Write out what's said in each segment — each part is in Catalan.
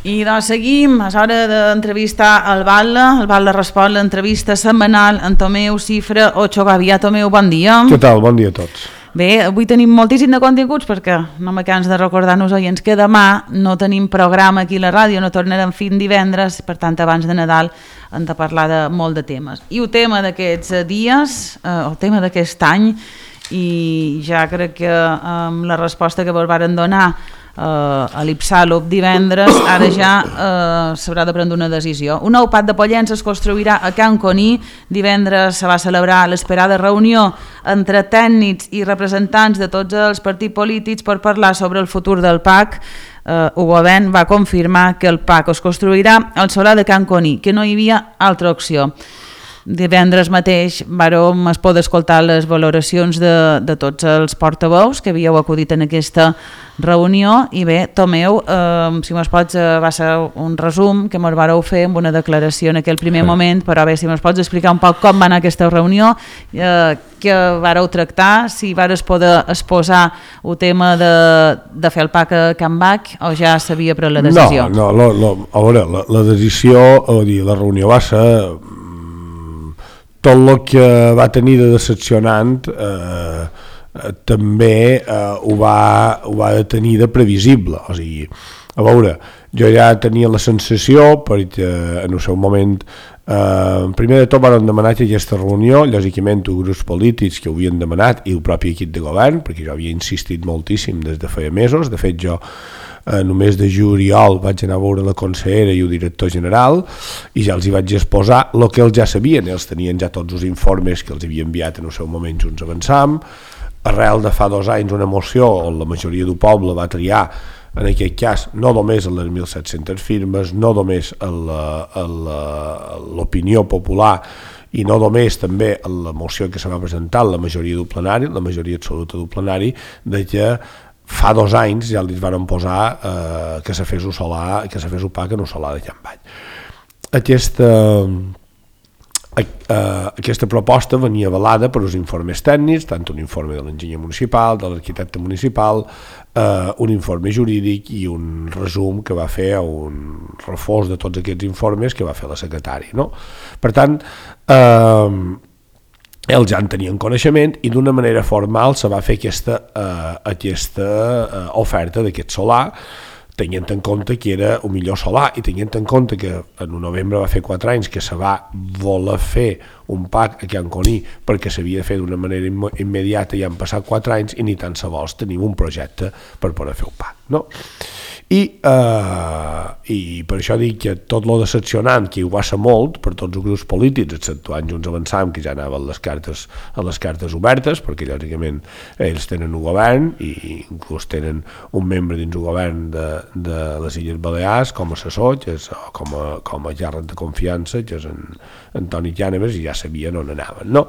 I doncs seguim, és hora d'entrevistar el Batlle respon l'entrevista setmanal en Tomeu Cifra Ocho Gavia. Tomeu, bon dia. Què tal? Bon dia a tots. Bé, avui tenim moltíssim de continguts perquè no me canso de recordar-nos oients que demà no tenim programa aquí a la ràdio, no tornarem fins divendres, per tant abans de Nadal hem de parlar de molt de temes. I el tema d'aquests dies, el tema d'aquest any, i ja crec que amb la resposta que vos varen donar a l'Ipsalop divendres, ara ja s'haurà de prendre una decisió. Un nou pad de Pollença es construirà a Can Coní. Divendres se va celebrar l'esperada reunió entre tècnics i representants de tots els partits polítics per parlar sobre el futur del PAC. El govern va confirmar que el PAC es construirà al solar de Can Coní, que no hi havia altra opció. Divendres mateix vam poder escoltar les valoracions de tots els portaveus que havíeu acudit en aquesta reunió. I bé, Tomeu, si mos pots, va ser un resum que mos vareu fer amb una declaració en aquell primer moment, però bé, si mos pots explicar un poc com va anar aquesta reunió, què vareu tractar, si vares poder exposar el tema de fer el PAC a Can Bac o ja s'havia pres la decisió? No, a veure, la decisió, la reunió va ser tot el que va tenir de decepcionant, també ho va tenir de previsible. O sigui, a veure, jo ja tenia la sensació, perquè en el seu moment primer de tot van demanar aquesta reunió, lògicament els grups polítics que ho havien demanat i el propi equip de govern, perquè jo havia insistit moltíssim des de feia mesos. De fet, jo en el mes de juliol vaig anar a veure la consellera i el director general i ja els hi vaig exposar el que ells ja sabien. Ells tenien ja tots els informes que els havia enviat en el seu moment Junts Avançam. Arrel de fa 2 anys una moció on la majoria del poble va triar, en aquest cas, no només les 1.700 firmes, no només l'opinió popular i no només també la moció que se va presentar la majoria del plenari, la majoria absoluta del plenari, de que fa 2 anys ja li van posar que se fes el PAC en el solar de Can Bac. Aquesta proposta venia avalada per els informes tècnics, tant un informe de l'enginyer municipal, de l'arquitecte municipal, un informe jurídic i un resum que va fer, un reforç de tots aquests informes que va fer la secretària, no? Per tant, ells ja en tenien coneixement i d'una manera formal se va fer aquesta oferta d'aquest solar, tenint en compte que era el millor solar i tenint en compte que en novembre va fer 4 anys que se va voler fer un PAC a Can Coní perquè s'havia de fer d'una manera immediata i han passat 4 anys i ni tan se vols tenim un projecte per poder fer un PAC, no? I per això dic que tot lo decepcionant, que ho va ser molt per tots els grups polítics, exceptuant Junts Avançam, que ja anaven les cartes obertes, perquè lògicament ells tenen un govern i inclús tenen un membre dins el govern de les Illes Balears com a assessor, com a llarg de confiança, que és en Toni Llàneves, i ja sabien on anaven, no?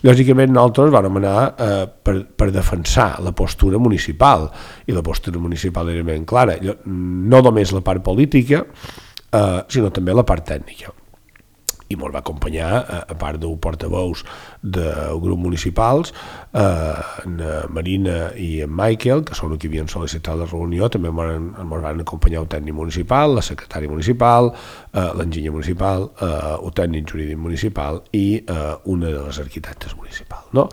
Lògicament nosaltres vam anar per defensar la postura municipal, i la postura municipal era ben clara, no només la part política, sinó també la part tècnica. I ens va acompanyar, a part dels portaveus del grup municipals, en Marina i en Michael, que són els que havien sol·licitat la reunió, també ens van acompanyar el tècnic municipal, la secretària municipal, l'enginyer municipal, el tècnic jurídic municipal i una de les arquitectes municipals, no?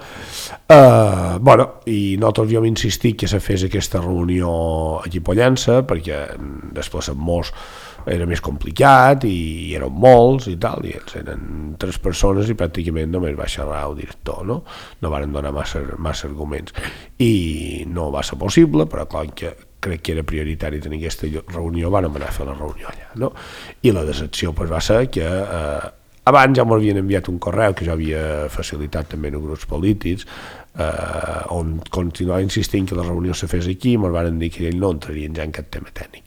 I nosaltres havíem insistit que se fes aquesta reunió aquí a Pollença, perquè desplaçant-nos era més complicat i eren molts i tal, i ells eren 3 persones i pràcticament només va xerrar el director, no van donar massa arguments i no va ser possible, però clar que crec que era prioritari tenir aquesta reunió, vam anar a fer la reunió allà, no? I la decepció va ser que abans ja m'havien enviat un correu que jo havia facilitat també en grups polítics on continuava insistint que la reunió se fes aquí i ens van dir que ells no entrarien ja en cap tema tècnic.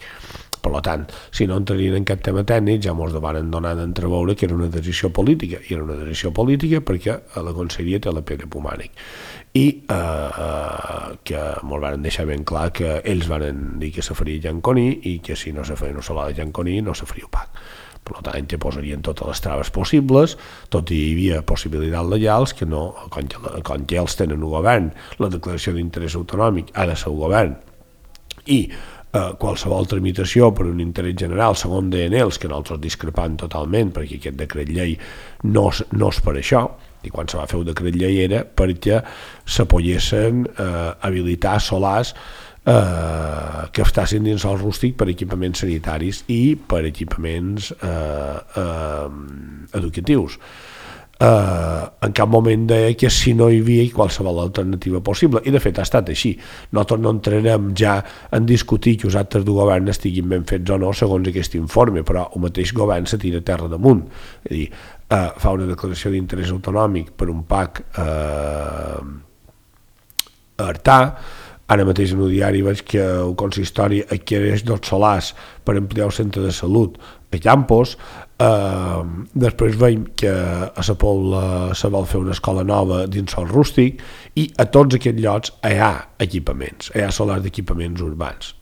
Per tant, si no entrarien en cap tema tècnic, ja ens van donar d'entreveure que era una decisió política, i era una decisió política perquè la conselleria té la Pere Pomànic, i que ens van deixar ben clar que ells van dir que se faria Can Coní i que si no se feia un solar de Can Coní no se faria el PAC. Per tant, que posarien totes les traves possibles, tot i hi havia possibilitats legals que no, quan ja els tenen el govern, la declaració d'interès autonòmic ha de ser el govern, i qualsevol tramitació per un interès general, segons deien ells, que nosaltres discrepant totalment, perquè aquest decret llei no és per això, i quan se va fer el decret llei era perquè se poguessin habilitar solars que estiguessin dins el rústic per equipaments sanitaris i per equipaments educatius. En cap moment deia que si no hi havia qualsevol alternativa possible, i de fet ha estat així. Nosaltres no entrarem ja en discutir que els actes de govern estiguin ben fets o no segons aquest informe, però el mateix govern se tira terra damunt, és a dir, fa una declaració d'interès autonòmic per un PAC a Artà. Ara mateix en el diari veig que el consistori adquireix 2 solars per ampliar el centre de salut a Campos. Després veiem que a la Pobla se vol fer una escola nova dins el rústic, i a tots aquests llocs hi ha equipaments, hi ha solars d'equipaments urbans.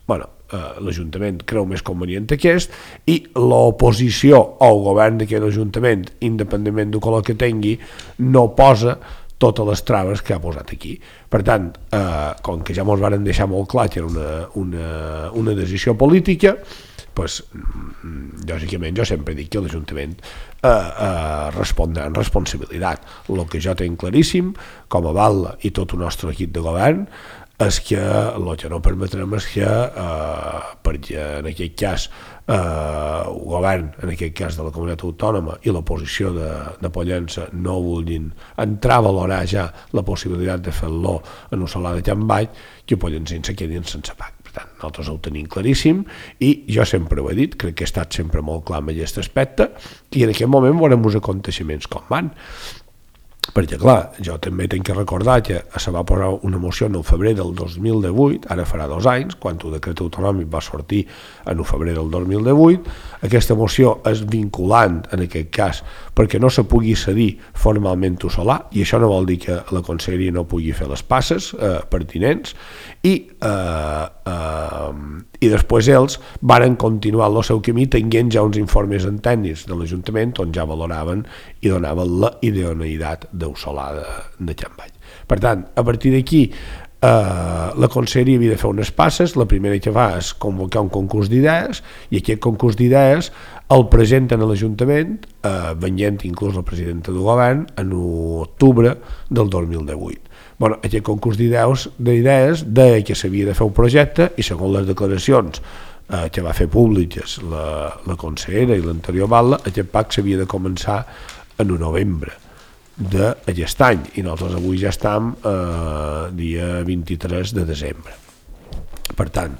L'Ajuntament creu més convenient aquest, i l'oposició al govern d'aquest Ajuntament, independentment del color que tingui, no posa totes les traves que ha posat aquí. Per tant, com que ja ens varen deixar molt clar que era una decisió política, pues, lògicament jo sempre dic que l'Ajuntament respondrà en responsabilitat. El que jo tinc claríssim, com a Val i tot el nostre equip de govern, és que el que no permetrem és que, perquè en aquest cas el govern, en aquest cas de la comunitat autònoma, i l'oposició de Pollença no vulguin entrar a valorar ja la possibilitat de fer-lo en un solar de Can Baix, que Pollença se quedin sense PAC. Nosaltres ho tenim claríssim, i jo sempre ho he dit, crec que he estat sempre molt clar en aquest aspecte, i en aquest moment veurem els aconteixements com van. Perquè, clar, jo també tinc que recordar que se va posar una moció en el febrer del 2018, ara farà 2 anys, quan el decret autonòmic va sortir en el febrer del 2018. Aquesta moció és vinculant, en aquest cas, perquè no se pugui cedir formalment el solar, i això no vol dir que la conselleria no pugui fer les passes pertinents, i després ells varen continuar el seu camí tenint ja uns informes tècnics de l'Ajuntament on ja valoraven i donaven la idoneïtat del solar de Can Baix. Per tant, a partir d'aquí la conselleria havia de fer unes passes. La primera que fa és convocar un concurs d'idees, i aquest concurs d'idees el presenten a l'Ajuntament, venint inclús la presidenta del govern, en octubre del 2018. Aquest concurs d'idees deia que s'havia de fer un projecte, i segons les declaracions que va fer públiques la consellera i l'anterior Batlle, aquest PAC s'havia de començar en novembre d'aquest any, i nosaltres avui ja estem dia 23 de desembre. Per tant,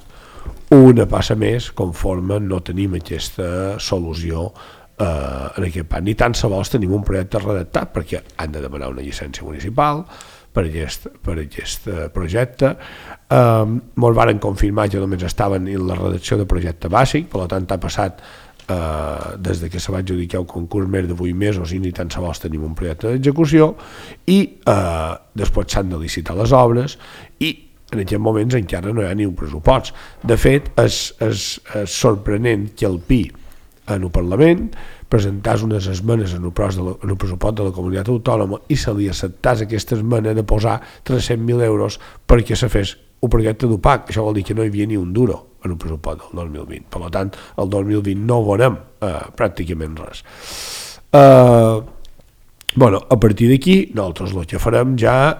una passa més conforme no tenim aquesta solució en aquest PAC. Ni tan sols tenim un projecte redactat, perquè han de demanar una llicència municipal per aquest projecte. Ens varen confirmar que només estaven en la redacció de projecte bàsic, per tant ha passat des que se va adjudicar el concurs més de 8 mesos i ni tan sols tenim un projecte d'execució, i després s'han de licitar les obres, i en aquests moments encara no hi ha ni un pressupost. De fet, és sorprenent que el PI en el Parlament presentàs unes esmenes en el pressupost de la comunitat autònoma i se li acceptàs aquesta esmena de posar 300.000 euros perquè se fes un projecte d'UPAC. Això vol dir que no hi havia ni un duro en el pressupost del 2020. Per tant, el 2020 no veurem pràcticament res. A partir d'aquí, nosaltres el que farem ja,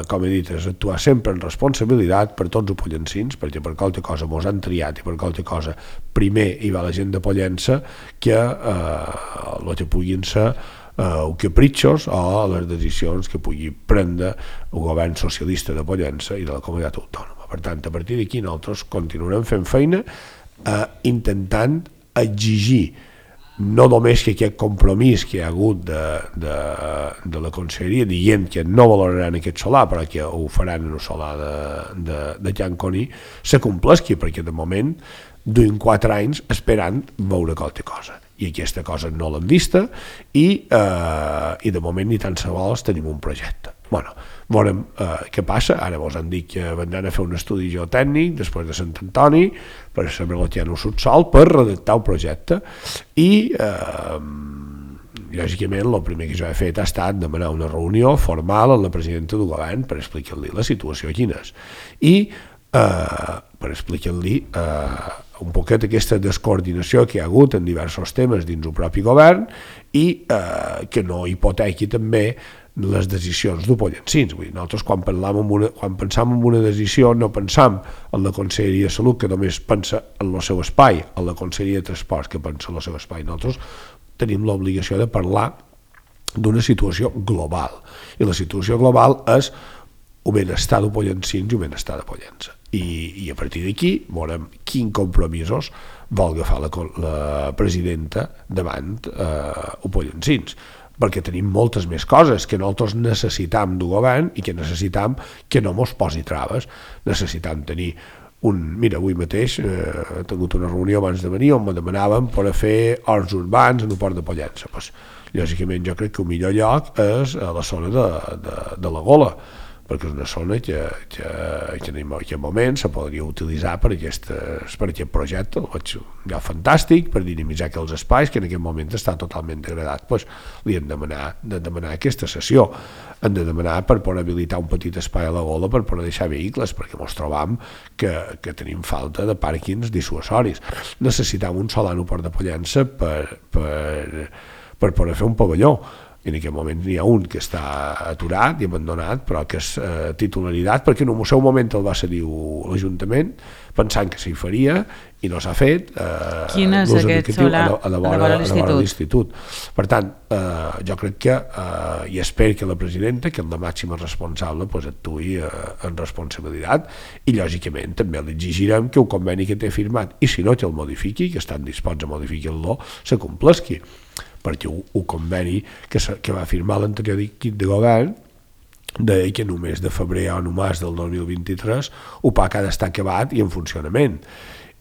com he dit, és actuar sempre en responsabilitat per tots els pollencins, perquè per qualque cosa mos han triat, i per qualque cosa primer hi va la gent de Pollença, que el que puguin ser capritxos o les decisions que pugui prendre el govern socialista de Pollença i de la comunitat autònoma. Per tant, a partir d'aquí nosaltres continuarem fent feina intentant exigir no només que aquest compromís que hi ha hagut de la conselleria dient que no valoraran aquest solar però que ho faran en el solar de Can Coní se complesqui, perquè de moment duim 4 anys esperant veure qualque cosa, i aquesta cosa no l'hem vista, i de moment ni tan sols tenim un projecte. Veurem què passa. Ara vos han dit que vendran a fer un estudi geotècnic després de Sant Antoni per saber el que hi ha en el subsòl, per redactar el projecte, i lògicament el primer que jo he fet ha estat demanar una reunió formal amb la presidenta del govern per explicar-li la situació quina és, i per explicar-li un poquet aquesta descoordinació que hi ha hagut en diversos temes dins el propi govern i que no hipotequi també les decisions d'Upollensins. Nosaltres quan pensam en una decisió no pensam en la Conselleria de Salut, que només pensa en el seu espai, en la Conselleria de Transports, que pensa en el seu espai. Nosaltres tenim l'obligació de parlar d'una situació global, i la situació global és el benestar d'Upollensins i el benestar de Pollença. I a partir d'aquí veurem quins compromisos vol agafar la presidenta davant Upollensins, perquè tenim moltes més coses que nosaltres necessitam d'un govern i que necessitam que no mos posi traves. Necessitam tenir mira, avui mateix he tingut una reunió abans de venir on me demanaven per a fer horts urbans en el port de Pollença. Lògicament jo crec que el millor lloc és a la zona de la Gola, perquè és una zona que en aquest moment se podria utilitzar per aquest projecte. Ho veig ja fantàstic, per dinamitzar aquells espais que en aquest moment està totalment degradat. Li hem de demanar aquesta sessió, hem de demanar per poder habilitar un petit espai a la Gola per poder deixar vehicles, perquè ens trobam que tenim falta de pàrquings dissuasoris. Necessitam un solar al port de Pollença per poder fer un pavelló. En aquest moment n'hi ha un que està aturat i abandonat, però que és titularitat, perquè en un seu moment el va cedir l'Ajuntament, pensant que s'hi faria, i no s'ha fet. Quin és aquest solar a la vora de l'Institut? Per tant, jo crec que, i espero que la presidenta, que és la màxima responsable, actuï en responsabilitat, i lògicament també li exigirem que el conveni que té firmat, i si no que el modifiqui, que estan disposats a modificar-lo, se complesqui, perquè el conveni que va firmar l'anterior equip de govern deia que només de febrer o només del 2023 el PAC ha d'estar acabat i en funcionament.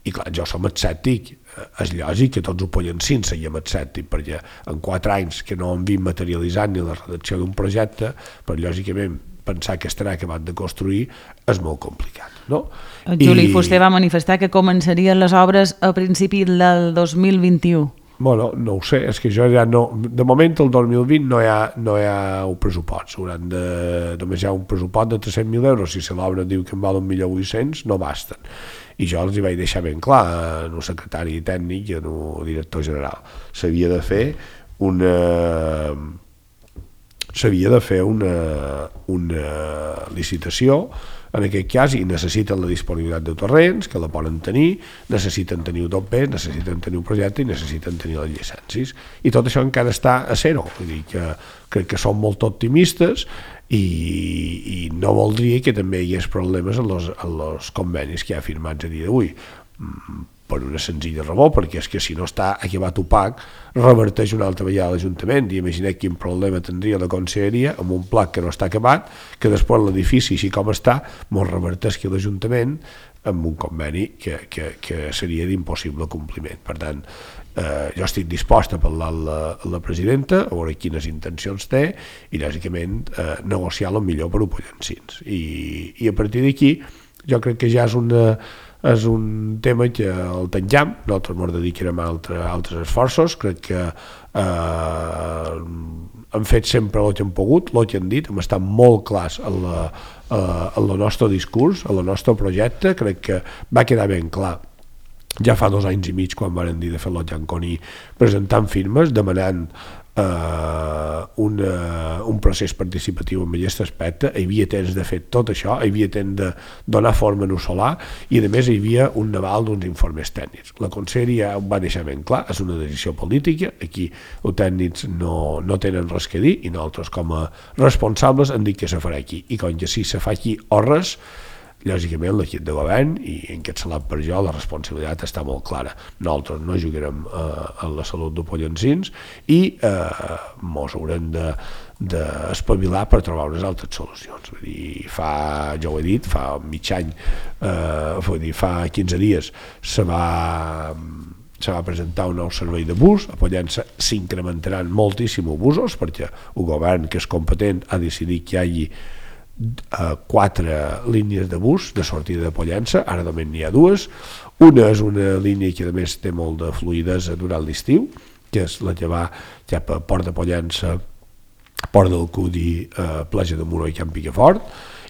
I clar, jo som escèptic, és lògic que tots ho Pollensins seguim escèptic, perquè en 4 anys que no hem vist materialitzant ni la redacció d'un projecte, però lògicament pensar que estarà acabat de construir és molt complicat, no? Juli Fuster va manifestar que començarien les obres a principi del 2021. Bueno, no ho sé, és que jo ja no... De moment, el 2020 no hi ha un pressupost. Només hi ha un pressupost de 300.000 euros. Si l'obra diu que en val 1.800.000, no basten. I jo els hi vaig deixar ben clar en el secretari tècnic i en el director general. S'havia de fer una licitació en aquest cas, i necessiten la disponibilitat de terrenys, que la poden tenir, necessiten tenir un top, necessiten tenir un projecte i necessiten tenir les llicències. I tot això encara està a zero. Vull dir que crec que som molt optimistes i no voldria que també hi hagués problemes en els convenis que hi ha firmats a dia d'avui, per una senzilla raó, perquè és que si no està acabat opac, reverteix una altra vegada a l'Ajuntament, i imagineu quin problema tindria la Conselleria amb un pla que no està acabat, que després l'edifici, així com està, mos reverteixi l'Ajuntament amb un conveni que seria d'impossible compliment. Per tant, jo estic dispost a parlar amb la presidenta, a veure quines intencions té, i lògicament negociar el millor per Upollensins. I a partir d'aquí, jo crec que ja és un tema que el tanquem, nosaltres ens dedicarem a altres esforços. Crec que hem fet sempre el que hem pogut, el que hem dit, hem estat molt clars en el nostre discurs, en el nostre projecte. Crec que va quedar ben clar ja fa 2 anys i mig quan varen dir de fer el Gianconí, presentant firmes, demanant un procés participatiu en aquest aspecte. Hi havia temps de fer tot això, hi havia temps de donar forma en el solar, i a més hi havia un aval d'uns informes tècnics. La Conselleria ho va deixar ben clar, és una decisió política, aquí els tècnics no tenen res que dir, i nosaltres com a responsables hem dit que se farà aquí, i com que si se fa aquí o res, lògicament l'equip de govern, i encapçalat per jo, la responsabilitat està molt clara. Nosaltres no jugarem en la salut d'Upollensins i mos haurem d'espavilar per trobar unes altres solucions. Vull dir, jo ho he dit, fa mig any, fa 15 dies se va presentar un nou servei de bus. A Pollença s'incrementaran moltíssim els busos, perquè el govern, que és competent, ha decidit que hi hagi 4 línies de bus de sortida de Pollença. Ara només n'hi ha 2. Una és una línia que a més té molt de fluïdesa durant l'estiu, que és la que va cap a Port de Pollença, Port del Cudi, Platja de Muro i Camp Picafort,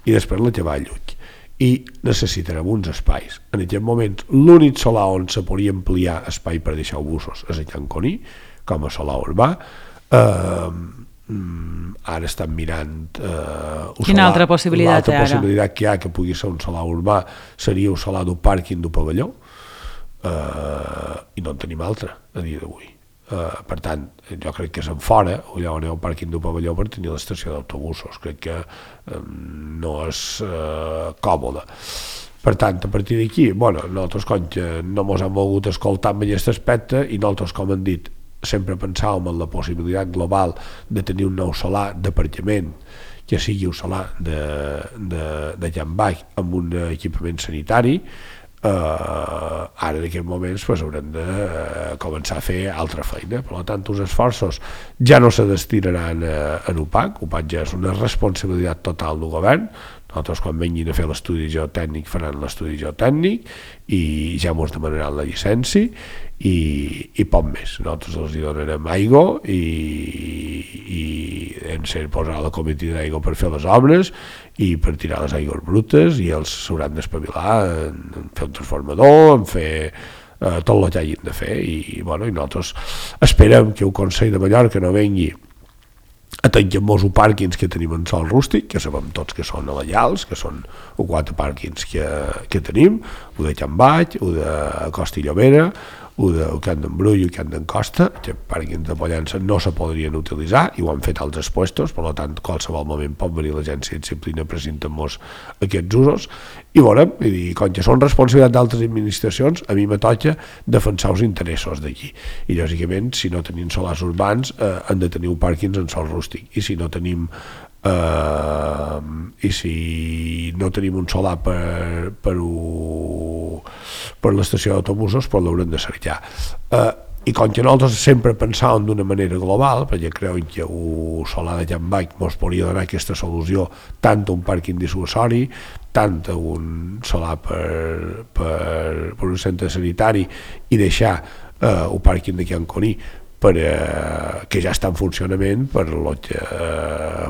i després la que va a Lluc. i necessitarem uns espais. En aquest moment l'únic solar on se podria ampliar espai per deixar busos és a Can Coní com a solar urbà. Ara estan mirant quina altra possibilitat l'altra possibilitat que hi ha que pugui ser un solar urbà seria un solar d'un pàrquing d'un pavelló, i no en tenim altre a dia d'avui. Per tant, jo crec que és en fora, allà on hi ha un pàrquing d'un pavelló per tenir l'estació d'autobusos, crec que no és còmode. Per tant, a partir d'aquí, nosaltres com que no ens hem volgut escoltar en aquest aspecte i nosaltres, com hem dit, sempre pensàvem en la possibilitat global de tenir un nou solar d'aparcament que sigui un solar de Can Baix amb un equipament sanitari. Ara en aquests moments haurem de començar a fer altra feina. Per tant, els esforços ja no se destinaran en UPAC. UPAC ja és una responsabilitat total del govern. Nosaltres, quan vinguin a fer l'estudi geotècnic, faran l'estudi geotècnic i ja ens demanaran la llicència i poc més. Nosaltres els hi donarem aigua i hem de posar la comitiva d'aigua per fer les obres i per tirar les aigües brutes, i els s'hauran d'espavilar en fer un transformador, en fer tot el que hagin de fer, i nosaltres esperem que el Consell de Mallorca no vengui a tancar molts pàrquings que tenim en sòl rústic, que sabem tots que són legals, que són 4 pàrquings que tenim, un de Can Baix, un de Costa i Llobera, un de Can d'Embrull i Can d'en Costa. Aquests pàrquings de Pollença no se podrien utilitzar i ho han fet altres puestos, per tant, qualsevol moment pot venir l'agència de disciplina presentant-nos aquests usos i veurem, com que són responsabilitat d'altres administracions, a mi me toca defensar els interessos d'aquí, i lògicament si no tenim solars urbans han de tenir pàrquings en sòl rústic, i si no tenim un solar per l'estació d'autobusos, l'haurem de cercar. I com que nosaltres sempre pensàvem d'una manera global, perquè creuen que el solar de Can Baix ens podria donar aquesta solució tant a un pàrquing dissuasori, tant a un solar per un centre sanitari, i deixar el pàrquing de Can Coní que ja està en funcionament per lo que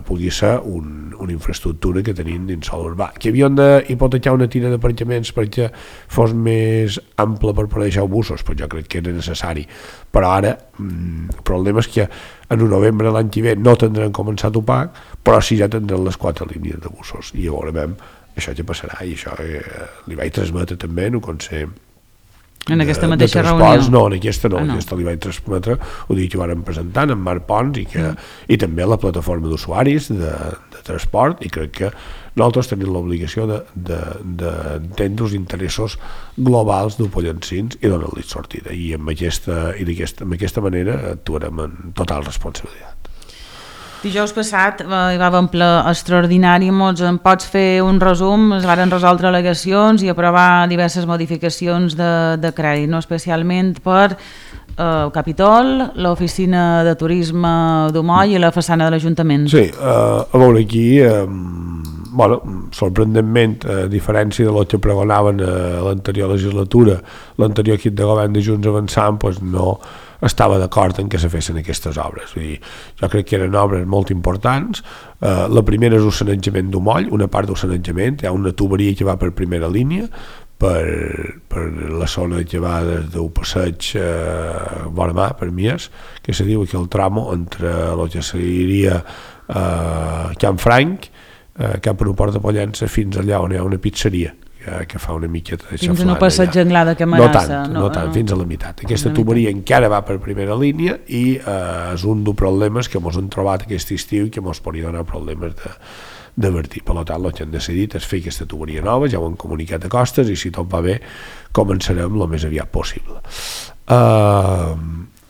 pugui ser una infraestructura que tenim dins sòl urbà, que havien d'hipotecar una tira d'aparcaments perquè fos més ample per poder deixar busos, però jo crec que era necessari. Però ara el problema és que en novembre l'any que ve no tindrem començat UPAC, però sí ja tindrem les 4 línies de busos, i llavors veurem això què passarà, i això li vaig transmetre també en un consell en aquesta mateixa reunió. No, en aquesta no, aquesta li vaig transmetre, ho dic que ho vàrem presentant en Marc Pons i també a la plataforma d'usuaris de transport, i crec que nosaltres tenim l'obligació d'entendre els interessos globals dels pollencins i donar-li sortida, i amb aquesta manera actuarem en total responsabilitat. Dijous passat hi va haver un ple extraordinari. En pots fer un resum? Es varen resoldre al·legacions i aprovar diverses modificacions de crèdit, no? Especialment per el Capitol, l'oficina de turisme d'Umoll i la façana de l'Ajuntament. Sí, a veure aquí, sorprenentment, a diferència del que pregonaven a l'anterior legislatura, l'anterior equip de govern de Junts Avançant no estava d'acord en què se fessin aquestes obres. Vull dir, jo crec que eren obres molt importants. La primera és el sanejament d'Umoll, una part del sanejament, hi ha una tuberia que va per primera línia, per la zona que va des del passeig vora mar, per Mies, que se diu que el tramo entre el que seria Can Franc, cap a l'aeroport de Pollença, fins allà on hi ha una pizzeria que fa una miqueta de xaflana. Fins a un passeig Anglada que amenaça. No tant, fins a la meitat. Aquesta tuberia encara va per primera línia i és un dels problemes que ens hem trobat aquest estiu i que ens podria donar problemes de vertir. Per tant, el que hem decidit és fer aquesta tuberia nova, ja ho hem comunicat a Costes, i si tot va bé començarem el més aviat possible.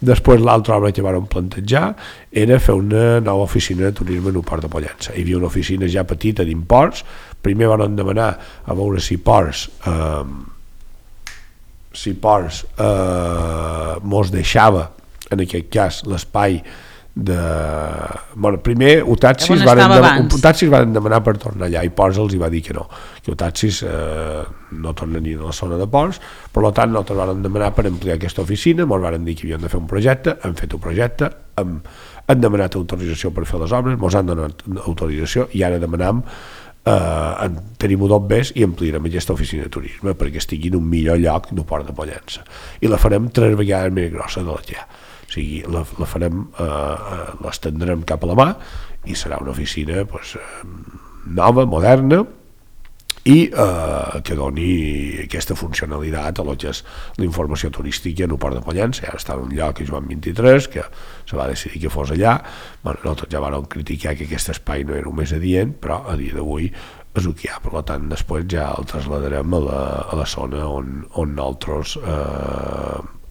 Després l'altra obra que vam plantejar era fer una nova oficina de turisme en el port de Pollença. Hi havia una oficina ja petita d'imports. Primer vam demanar a veure si Ports mos deixava, en aquest cas, l'espai de... primer Utaxis van demanar per tornar allà, i Ports els hi va dir que no, que Utaxis no tornarien a la zona de Ports. Per tant, nosaltres vam demanar per ampliar aquesta oficina, ens van dir que havíem de fer un projecte, hem fet un projecte, hem demanat autorització per fer les obres, ens han donat autorització, i ara demanam tenim-ho tot més i ampliarem aquesta oficina de turisme perquè estigui en un millor lloc del Port de Pollença, i la farem 3 vegades més grossa de la que hi ha. O sigui, la farem, l'estendrem cap a la mà i serà una oficina nova, moderna, i que doni aquesta funcionalitat a lo que és la informació turística en el Port de Pollença. Ja està en un lloc a Joan 23, que se va decidir que fos allà. Bueno, nosaltres ja vam criticar que aquest espai no era el més adient, però a dia d'avui és el que hi ha. Per tant, després ja el traslladarem a la zona on nosaltres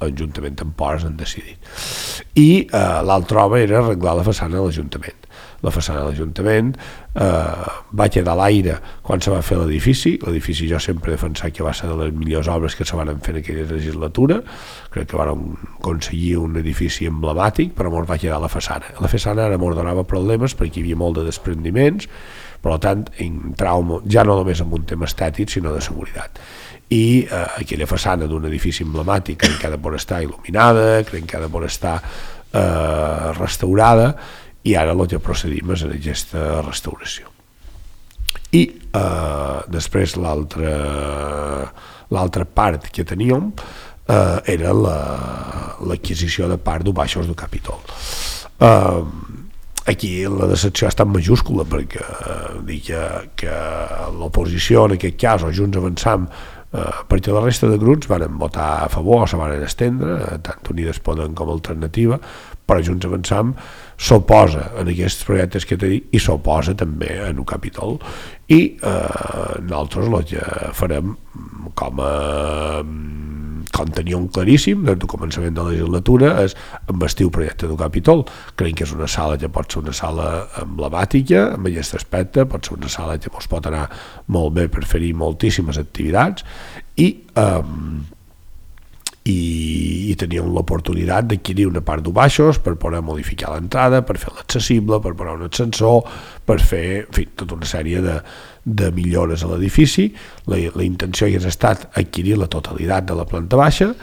Ajuntament en Ports han decidit. I l'altra obra era arreglar la façana de l'Ajuntament. La façana de l'Ajuntament va quedar a l'aire quan se va fer l'edifici. L'edifici jo sempre he defensat que va ser de les millors obres que se van fer en aquella legislatura. Crec que vam aconseguir un edifici emblemàtic, però ens va quedar la façana. La façana ara ens donava problemes perquè hi havia molt de desprendiments, per tant entràvem ja no només en un tema estètic sinó de seguretat. I aquella façana d'un edifici emblemàtic crec que ha de poder estar il·luminada, crec que ha de poder estar restaurada, i ara el que procedim és en aquesta restauració. I després l'altra part que teníem era l'adquisició de part dels baixos del Capitol. Aquí la decepció ha estat majúscula perquè dic que l'oposició en aquest cas, o Junts Avançam, perquè la resta de grups van votar a favor, se van estendre, tant Unides Podem com Alternativa, però Junts Avançam s'oposa en aquests projectes que t'he dit i s'oposa també en el Capitol, i nosaltres el que farem com teníem claríssim des del començament de la legislatura és investir el projecte del Capitol. Creiem que és una sala que pot ser una sala emblemàtica en aquest aspecte, pot ser una sala que ens pot anar molt bé per fer-hi moltíssimes activitats, i teníem l'oportunitat d'adquirir una part de baixos per poder modificar l'entrada, per fer-la accessible, per posar un ascensor, per fer, en fi, tota una sèrie de millores a l'edifici. La intenció hagués estat adquirir la totalitat de la planta baixa,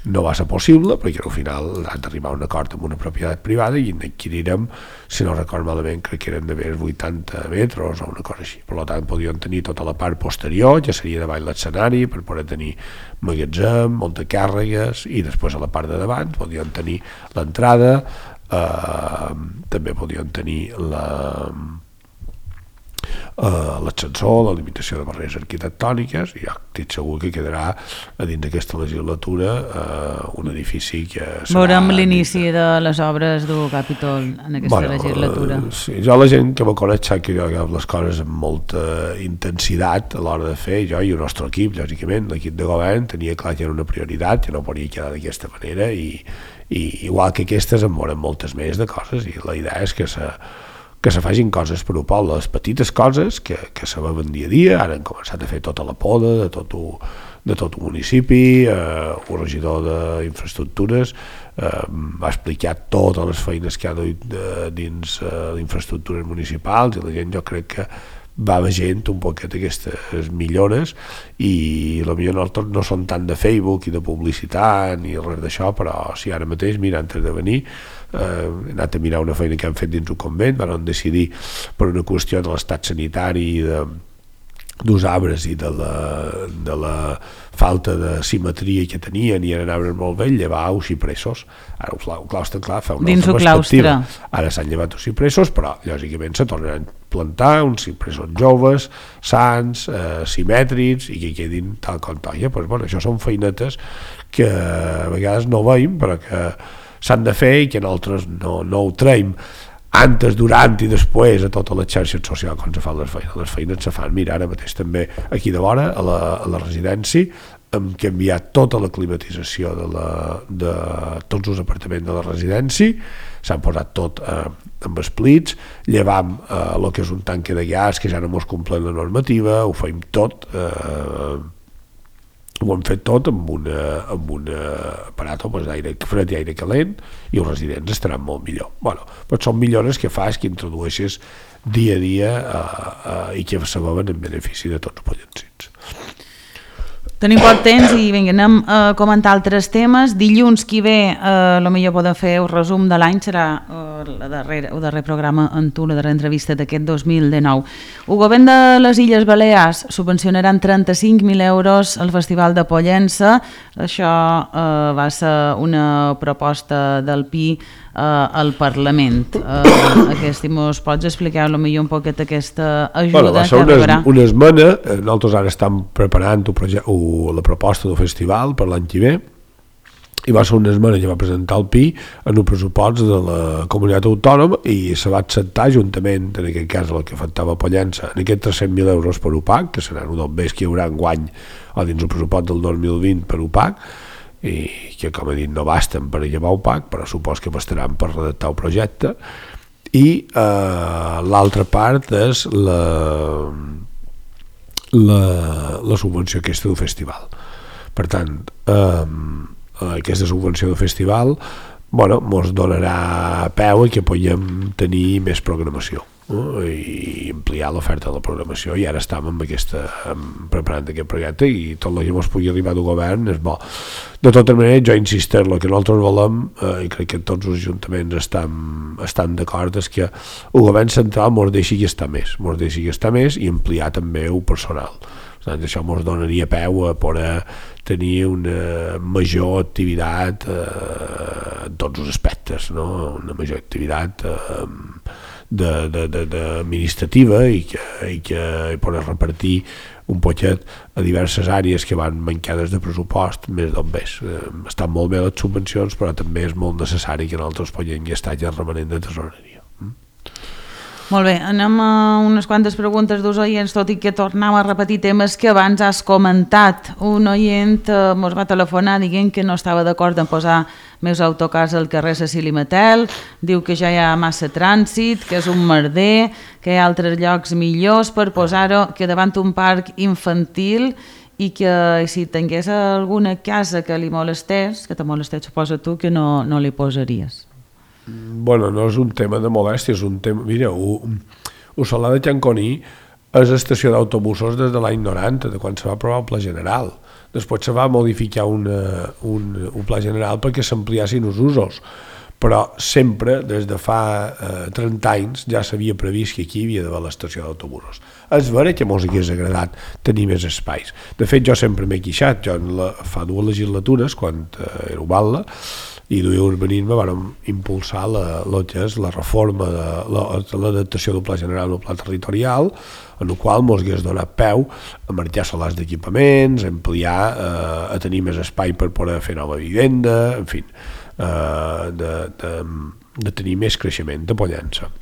no va ser possible perquè al final han d'arribar a un acord amb una propietat privada i n'adquirirem, si no recordo malament, crec que eren de més 80 metres o una cosa així. Per tant, podíem tenir tota la part posterior, ja seria davall l'escenari, per poder tenir magatzem, muntacàrregues, i després a la part de davant podíem tenir l'entrada, també podíem tenir l'ascensor, la limitació de barreres arquitectòniques, i jo estic segur que quedarà a dins d'aquesta legislatura un edifici que serà... Veurem l'inici de les obres del Capitol en aquesta legislatura. Sí, jo la gent que me coneix sap que jo hago les coses amb molta intensitat a l'hora de fer, jo i el nostre equip, lògicament, l'equip de govern tenia clar que era una prioritat, que no podia quedar d'aquesta manera, i igual que aquestes en veurem moltes més de coses, i la idea és que se facin coses per al poble, les petites coses que se veuen dia a dia. Ara han començat a fer tota la poda de tot el municipi, el regidor d'infraestructures va explicar totes les feines que ha dut dins d'infraestructures municipals, i la gent jo crec que va veient un poquet aquestes millores, i potser no són tant de Facebook i de publicitat ni res d'això, però si ara mateix, mira, antes de venir he anat a mirar una feina que han fet dins un convent, van decidir per una qüestió de l'estat sanitari i dels arbres i de la falta de simetria que tenien, i eren arbres molt vells, llevar els cipressos. Ara el claustre, clar, fa una altra perspectiva. Ara s'han llevat els cipressos, però lògicament se tornaran a plantar uns cipressos joves, sans, simètrics, i que quedin tal com toia. Això són feinetes que a vegades no veiem, però que s'han de fer i que nosaltres no ho traiem antes, durant i després a totes les xarxes socials quan se fan les feines. Les feines se fan, mira, ara mateix també aquí de vora, a la residència, hem canviat tota la climatització de tots els apartaments de la residència, s'han posat tot amb esplits, llevam el que és un tanque de gas que ja no mos compleix la normativa, ho fem tot, ho hem fet tot amb un aparat d'aire fred i aire calent, i els residents estaran molt millor. Però són millores que fas, que introdueixes dia a dia i que se veuen en benefici de tots els pollensins. Tenim poc temps i vinga, anem a comentar altres temes. Dilluns que ve, potser podem fer un resum de l'any, serà el darrer programa en tu, la darrera entrevista d'aquest 2019. El govern de les Illes Balears subvencionarà 35.000 euros al Festival de Pollença. Això va ser una proposta del PI al Parlament. Mos pots explicar potser un poquet aquesta ajuda va ser una esmena. Nosaltres ara estem preparant la proposta del festival per l'any que ve, i va ser una esmena que va presentar el PI en el pressupost de la comunitat autònoma i se va acceptar juntament, en aquest cas el que afectava Pollença, en aquests 300.000 euros per UPAC, que seran un dels més que hi haurà enguany o dins el pressupost del 2020 per UPAC, i que, com he dit, no basten per llevar UPAC, però supos que bastaran per redactar el projecte. I l'altra part és la subvenció aquesta del festival. Per tant, aquesta subvenció del festival mos donarà peu que puguem tenir més programació, i ampliar l'oferta de la programació, i ara estem preparant aquest projecte, i tot el que ens pugui arribar del govern és bo. De tota manera, jo insistir, el que nosaltres volem, i crec que tots els ajuntaments estan d'acord, és que el govern central ens deixi gastar més i ampliar també el personal. Això ens donaria peu a poder tenir una major activitat en tots els aspectes, no? Una major activitat administrativa i que poder repartir un poquet a diverses àrees que van mancades de pressupost més d'on més. Estan molt bé les subvencions, però també és molt necessari que nosaltres puguem gastar ja remanent de tesoreria. Molt bé, anem a unes quantes preguntes dels oients, tot i que tornem a repetir temes que abans has comentat. Un oient ens va telefonar dient que no estava d'acord en posar més autocars al carrer Cecili Matel, diu que ja hi ha massa trànsit, que és un merder, que hi ha altres llocs millors per posar-ho, que davant un parc infantil, i que si tingués alguna casa que li molestés, que te molestés, suposa tu, que no li posaries. Bueno, no és un tema de molèstia, és un tema... Mira, el Solà de Canconí és estació d'autobusos des de l'any 90, de quan se va aprovar el Pla General. Després se va modificar un Pla General perquè s'ampliassin els usos, però sempre, des de fa 30 anys, ja s'havia previst que aquí hi havia d'haver l'estació d'autobusos. És vera que mos hagués agradat tenir més espais. De fet, jo sempre m'he queixat. Jo fa 2 legislatures, quan era Ubalda, i duia urbanisme, vam impulsar que és la reforma de l'adaptació del Pla General al Pla Territorial, en el qual ens hagués donat peu a marxar solars d'equipaments, a ampliar, a tenir més espai per poder fer nova vivenda, en fi, de tenir més creixement de Pollença.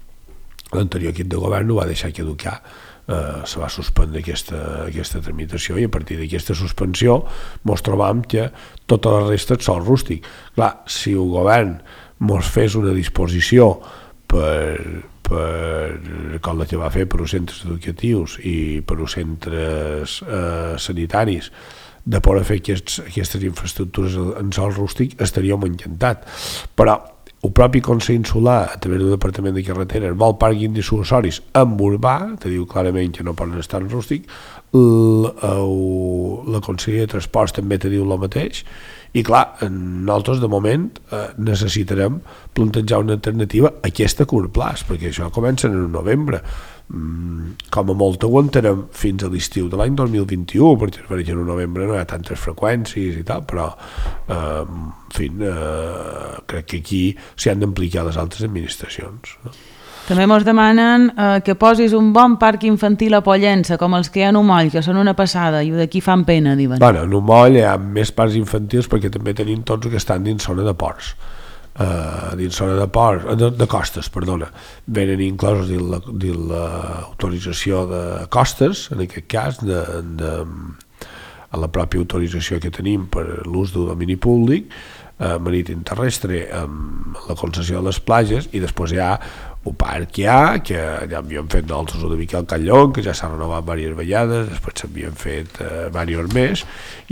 L'anterior equip de govern ho va deixar caducar, se va suspendre aquesta tramitació, i a partir d'aquesta suspensió ens trobam que tota la resta és sòl rústic. Clar, si el govern ens fes una disposició com la que va fer per als centres educatius i per als centres sanitaris, de poder fer aquestes infraestructures en sòl rústic, estaríem encantats. Però el propi Consell Insular, a través del Departament de Carreteres, vol pàrquings dissuasoris en urbà, te diu clarament que no poden estar en rústic. La Conselleria de Transports també te diu el mateix, i clar, nosaltres de moment necessitarem plantejar una alternativa a aquesta curt plaç, perquè això comença en novembre. Com a molt aguantarem fins a l'estiu de l'any 2021, perquè en novembre no hi ha tantes freqüències i tal, però en fi, crec que aquí s'hi han d'implicar les altres administracions. També ens demanen que posis un bon parc infantil a Pollença, com els que hi ha a Umoll, que són una passada, i d'aquí fan pena, diuen. Bueno, a Umoll hi ha més parcs infantils perquè també tenim tots que estan dins zona de ports. Dins zona de ports, de costes, perdona, venen inclosos dins l'autorització de costes, en aquest cas, a la pròpia autorització que tenim per l'ús del domini públic, marítim terrestre, amb la concessió de les platges, i després hi ha el parc que ja havíem fet nosaltres una mica al Callón, que ja s'ha renovat diverses vegades, després s'havien fet diversos més,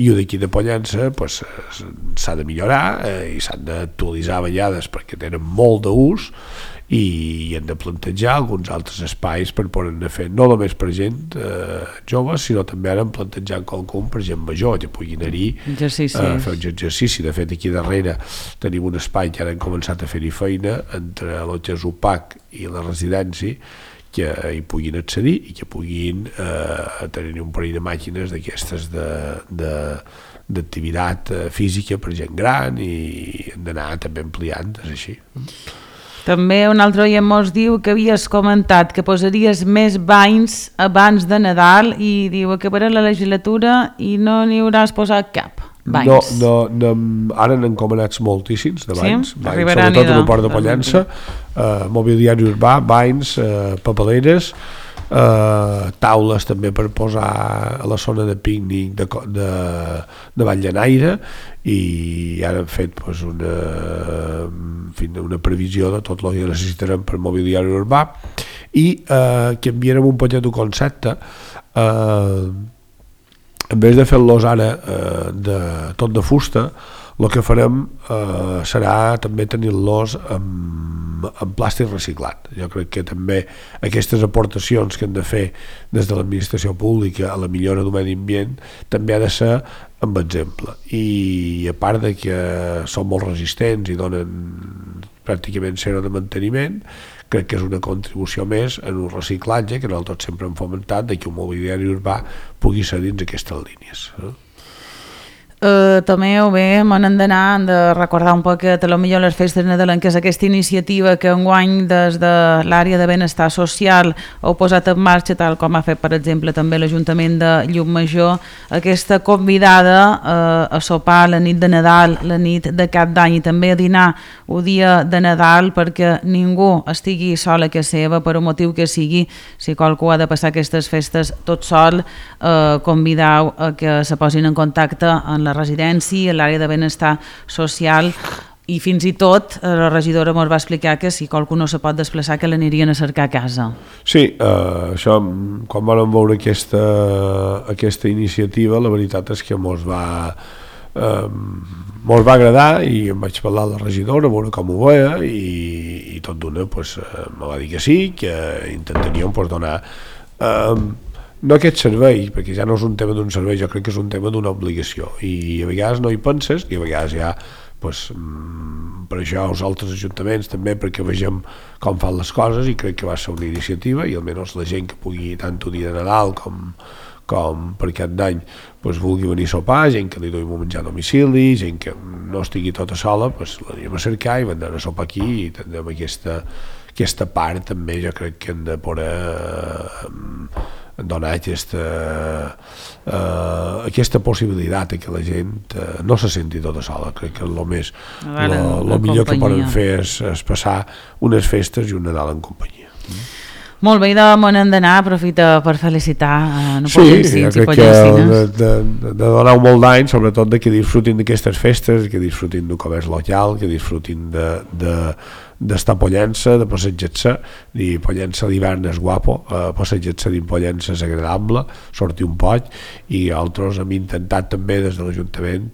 i d'aquí de Pollença s'ha de millorar i s'han d'actualitzar a vegades perquè tenen molt d'ús, i hem de plantejar alguns altres espais per poder-ne fer, no només per gent jove, sinó també ara hem plantejat qualcun per gent major, que pugui anar-hi fer un exercici. De fet, aquí darrere tenim un espai que ara hem començat a fer-hi feina entre el que és UPAC i la residència, que hi puguin accedir i que puguin tenir un parell de màquines d'aquestes d'activitat física per gent gran, i hem d'anar també ampliant, és així. També un altre oient mos diu que havies comentat que posaries més banys abans de Nadal i diu que per a la legislatura i no n'hi hauràs posat cap. Banys. No, ara n'han comanats moltíssims de banys, sí? Sobretot a l'Oport de Pollença, mobiliari urbà, banys, papeleres, taules també per posar a la zona de pícnic de Valldenaire, i ara hem fet una previsió de tot el que necessitarem per mobiliari urbà, i canviarem un poquet el concepte. En vez de fer-los ara tot de fusta, el que farem serà també tenir-los en plàstic reciclat. Jo crec que també aquestes aportacions que hem de fer des de l'administració pública a la millora del medi ambient també ha de ser amb exemple, i a part de que són molt resistents i donen pràcticament zero de manteniment, crec que és una contribució més en un reciclatge que nosaltres sempre hem fomentat, de que un mobiliari urbà pugui ser dins aquestes línies. També hem de recordar un poc que potser les festes nadalenques, aquesta iniciativa que enguany des de l'àrea de benestar social heu posat en marxa, tal com ha fet per exemple també l'Ajuntament de Llucmajor, aquesta convidada a sopar la nit de Nadal, la nit de Cap d'Any, i també a dinar el dia de Nadal, perquè ningú estigui sol a casa seva per un motiu que sigui. Si qualcú ha de passar aquestes festes tot sol, convideu a que se posin en contacte en la residència, a l'àrea de benestar social, i fins i tot la regidora ens va explicar que si qualcú no se pot desplaçar, que l'anirien a cercar a casa. Sí, això, quan vam veure aquesta iniciativa, la veritat és que mos va agradar, i em vaig parlar a la regidora a veure com ho veia, i tot d'una me va dir que sí, que intentaríem donar no aquest servei, perquè ja no és un tema d'un servei, jo crec que és un tema d'una obligació, i a vegades no hi penses, i a vegades ja per això els altres ajuntaments també, perquè vegem com fan les coses, i crec que va ser una iniciativa, i almenys la gent que pugui tant el dia de Nadal com per Cap d'Any vulgui venir a sopar, gent que li duim a menjar a domicili, gent que no estigui tota sola, l'anem a cercar i vendrem a sopar aquí, i tindrem aquesta part també. Jo crec que hem de poder donar aquesta possibilitat que la gent no se senti tota sola. Crec que el millor que poden fer és passar unes festes i un Nadal en companyia. Molt bé, on hem d'anar, aprofita per felicitar pollensins i pollensines. De donar un molt d'any, sobretot que disfrutin d'aquestes festes, que disfrutin del comerç local, que disfrutin d'estar a Pollença, de passejar-se, i Pollença d'hivern és guapo, passejar-se dins Pollença és agradable, sortir un poc, i altres hem intentat també des de l'Ajuntament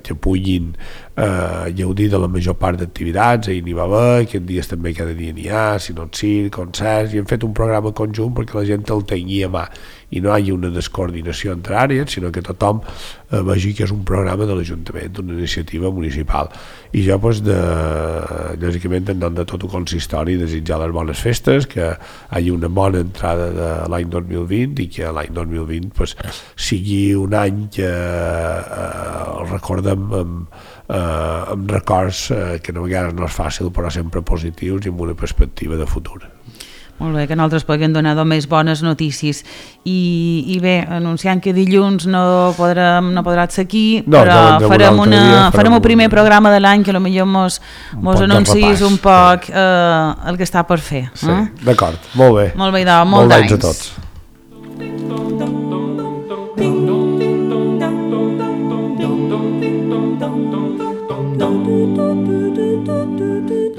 que puguin gaudir de la major part d'activitats. Ahir n'hi va haver, aquests dies també cada dia n'hi ha, si no circ, concerts, i hem fet un programa conjunt perquè la gent el tingui a mà i no hi hagi una descoordinació entre àrees, sinó que tothom vegi que és un programa de l'Ajuntament, una iniciativa municipal. I jo, lògicament, en nom de tot el consistori, desitjar les bones festes, que hi hagi una bona entrada de l'any 2020 i que l'any 2020 sigui un any que el recordem amb records que a vegades no és fàcil, però sempre positius i amb una perspectiva de futur. Molt bé, que nosaltres puguem donar més bones notícies. I bé, anunciant que dilluns no podràs ser aquí, però farem el primer programa de l'any, que potser mos anunciïs un poc el que està per fer. Sí, d'acord, molt bé. Molt bé, molt d'anys a tots.